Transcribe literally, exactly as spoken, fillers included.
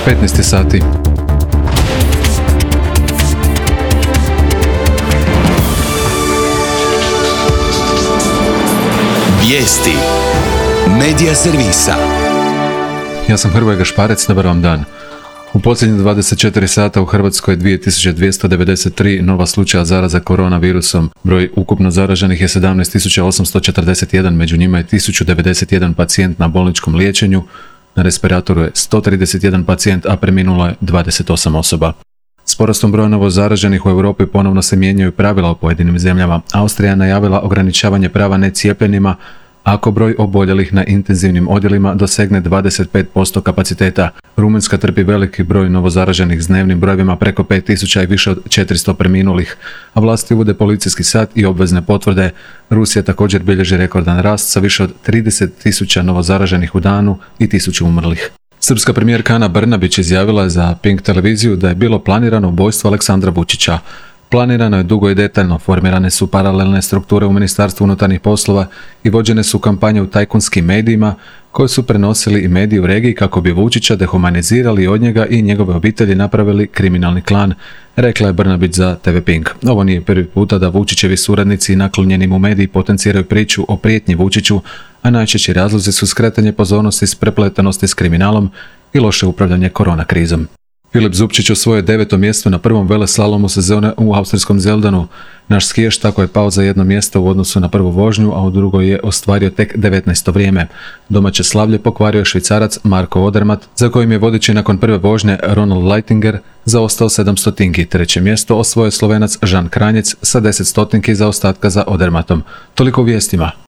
petnaest sati. Vijesti Medija servisa. Ja sam Hrvoje Gašparec, dobar vam dan. U posljednjih dvadeset četiri sata u Hrvatskoj je dvije tisuće dvjesto devedeset tri nova slučaja zaraza koronavirusom. Broj ukupno zaraženih je sedamnaest tisuća osamsto četrdeset jedan, među njima je tisuću devedeset jedan pacijent na bolničkom liječenju, na respiratoru je sto trideset jedan pacijent, a preminulo je dvadeset osam osoba. S porastom broja novo zaraženih u Europi ponovno se mijenjaju pravila u pojedinim zemljama. Austrija je najavila ograničavanje prava necijepljenima ako broj oboljelih na intenzivnim odjelima dosegne dvadeset pet posto kapaciteta. Rumunjska trpi veliki broj novozaraženih s dnevnim brojevima preko pet tisuća i više od četiristo preminulih, a vlasti uvode policijski sat i obvezne potvrde. Rusija također bilježi rekordan rast sa više od trideset tisuća novozaraženih u danu i tisuću umrlih. Srpska premijerka Ana Brnabić izjavila je za Pink televiziju da je bilo planirano ubojstvo Aleksandra Vučića. Planirano je dugo i detaljno, formirane su paralelne strukture u Ministarstvu unutarnjih poslova i vođene su kampanje u tajkunskim medijima koje su prenosili i mediji u regiji kako bi Vučića dehumanizirali i od njega i njegove obitelji napravili kriminalni klan, rekla je Brnabić za te ve Pink. Ovo nije prvi puta da Vučićevi suradnici i naklonjeni mu mediji potenciraju priču o prijetnji Vučiću, a najčešći razlozi su skretanje pozornosti s prepletanosti s kriminalom i loše upravljanje korona krizom. Filip Zupčić osvojio deveto mjesto na prvom veleslalomu sezone u austrijskom Zeldanu. Naš skijaš tako je pao za jedno mjesto u odnosu na prvu vožnju, a u drugoj je ostvario tek devetnaesto vrijeme. Domaće slavlje pokvario je Švicarac Marko Odermatt, za kojim je vodeći nakon prve vožnje Ronald Leitinger zaostao sedam stotinki. Treće mjesto osvojio Slovenac Žan Kranjec sa deset stotinki zaostatka za Odermattom. Toliko u vijestima.